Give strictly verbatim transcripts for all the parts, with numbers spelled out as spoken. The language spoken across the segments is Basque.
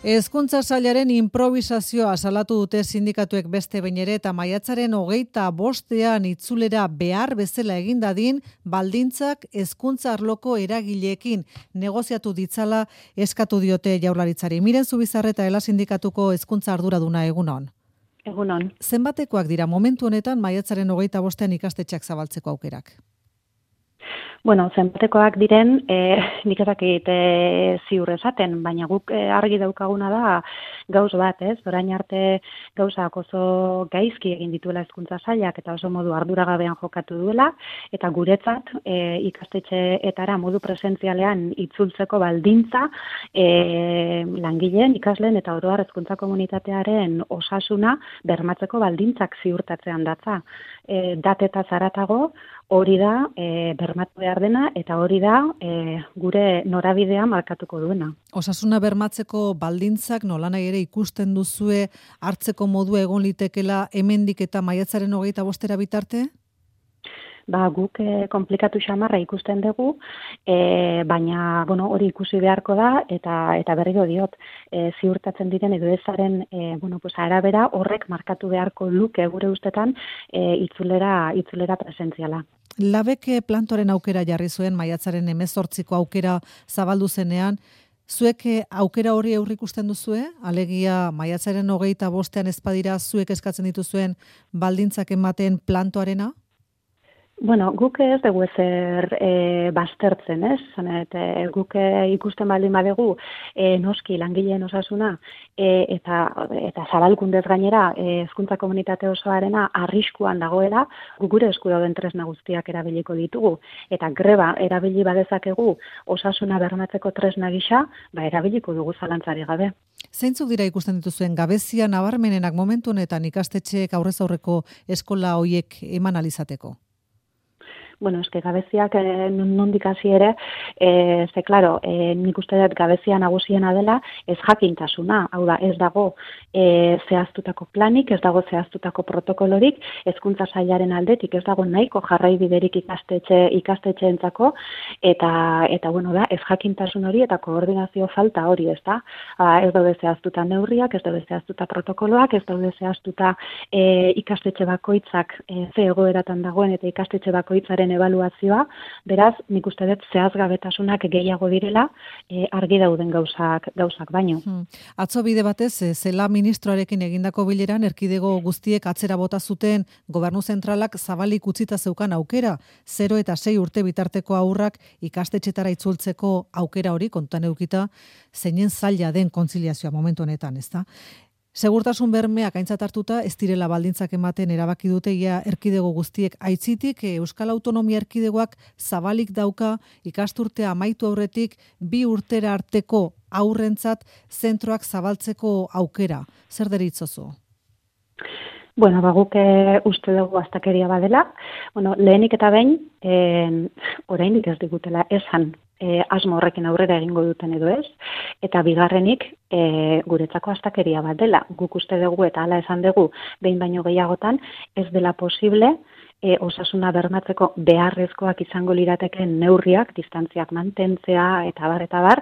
Hezkuntza sailaren improvisazioa salatu dute sindikatuek beste behin ere eta maiatzaren hogeita bostean itzulera behar bezala egin dadin baldintzak hezkuntza arloko eragileekin negoziatu ditzala eskatu diote Jaurlaritzari. Miren Zubizarreta Ela sindikatuko hezkuntza arduraduna egunon. Egunon. Zenbatekoak dira momentu honetan maiatzaren hogeita bostean ikastetxeak zabaltzeko aukerak? Bueno, zenbatekoak diren, eh, nik ezakit eh, ziur esaten, baina guk eh, argi daukaguna da gauz bat, ez? Orain arte gauzak oso gaizki egin dituela hezkuntza sailak eta oso modu arduragabean jokatu duela, eta guretzat eh, ikastetxeetara modu presentzialean itzultzeko baldintza eh, langileen, ikasleen eta oro har hezkuntza komunitatearen osasuna bermatzeko baldintzak ziurtatzean datza. Eh, dateta zaratago, hori da e, bermatu behar dena eta hori da e, gure norabidea markatuko duena. Osasuna bermatzeko baldintzak nolanahi ere ikusten duzue hartzeko modu egon litekela hemendik eta maiatzaren hogeita bostera bitarte? Ba, guk e, komplikatu xamarra ikusten dugu, e, baina bueno, hori ikusi beharko da eta eta berriro diot, e, ziurtatzen diren edo ezaren e, bueno, pues, arabera horrek markatu beharko luke gure ustetan e, itzulera, itzulera presentziala. Labek plantoren aukera jarri zuen maiatzaren hemezortziko aukera zabaldu zenean, zuek aukera hori aurrikusten duzue? Alegia maiatzaren hogeita bostean ezpadira zuek eskatzen dituzuen baldintzak ematen plantoarena? Bueno, guk ez dugu ezer e, baztertzen, ez? Zanet, e, guk e, ikusten baldin badegu e, noski langileen osasuna e, eta eta zabalkundez gainera hezkuntza e, komunitate osoarena arriskuan dagoela, guk gure esku dauden tresna guztiak erabiliko ditugu eta greba erabili badezakegu osasuna bermatzeko tresna gisa, ba erabiliko dugu zalantzari gabe. Zeintzuk dira ikusten dituzuen gabezia nabarmenenak momentu honetan ikastetxeek aurrez aurreko eskola hoiek eman alizateko? Bueno, eske gabeziak eh, nondik hasi ere, eh, ze claro, eh, nik uste dut gabezia nagusiena dela ez jakintasuna, hau da, ez dago eh, zehaztutako planik, ez dago zehaztutako protokolorik, hezkuntza sailaren aldetik ez dago nahiko jarraibiderik ikastetxe ikastetxeentzako eta eta bueno da, ez jakintasun hori eta koordinazio falta hori, ezta? Ah, ez daude zehaztuta neurriak, ez daude zehaztuta protokoloak, ez daude zehaztuta eh, ikastetxe bakoitzak eh, ze egoeratan dagoen eta ikastetxe bakoitzaren ebaluazioa, beraz, nik uste dut zehazgabetasunak gehiago direla, e, argi dauden gauzak gauzak baino. Hmm. Atzo bide batez, zela ministroarekin egindako bileran erkidego guztiek atzera bota zuten gobernu zentralak zabalik utzita zeukan aukera, zero eta sei urte bitarteko haurrak ikastetxetara itzultzeko aukera hori kontuan edukita, zeinen zaila den kontziliazioa momentu honetan, ezta? Segurtasun bermeak aintzat hartuta ez direla baldintzak ematen erabaki dute ia erkidego guztiek aitzitik Euskal Autonomia Erkidegoak zabalik dauka ikasturtea amaitu aurretik bi urtera arteko aurrentzat zentroak zabaltzeko aukera. Zer deritzozu? Bueno, ba, guk e, uste dugu astakeria badela. Bueno, lehenik eta behin, e, orainik ez digutela esan e, asmo horrekin aurrera egingo duten edo ez, eta bigarrenik e, guretzako astakeria bat dela. Guk uste dugu eta hala esan dugu behin baino gehiagotan ez dela posible E, osasuna bermatzeko beharrezkoak izango liratekeen neurriak, distantziak mantentzea eta bar eta bar,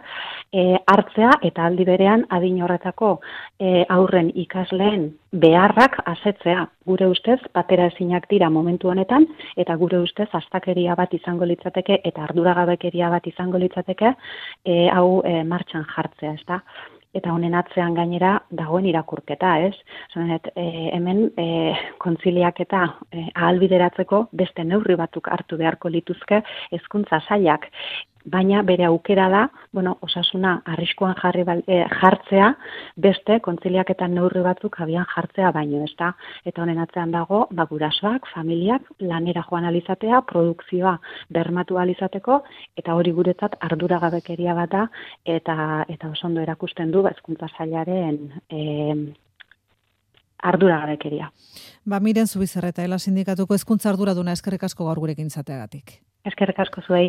e, hartzea eta aldi berean adin horretako e, aurren ikasleen beharrak asetzea. Gure ustez batera ezinak dira momentu honetan eta gure ustez astakeria bat izango litzateke eta arduragabekeria bat izango litzateke e, hau e, martxan jartzea, ezta? Eta honen atzean gainera dagoen irakurketa, ez? Zanet, e, hemen e, kontziliak eta e, ahalbideratzeko beste neurri batzuk hartu beharko lituzke hezkuntza sailak. Baina bere aukera da, bueno, osasuna arriskuan jarri e, jartzea, beste kontziliaketan neurri batzuk abian jartzea baino, ezta? Eta honen atzean dago, ba, gurasoak, familiak lanera joan alizatea, produkzioa bermatu alizateko, eta hori guretzat arduragabekeria bat da, eta eta oso ondo erakusten du hezkuntza sailaren e, arduragabekeria. Ba, Miren Zubizarreta Ela sindikatuko hezkuntza arduraduna eskerrik asko gaur gurekin izateagatik. Eskerrik asko zuei.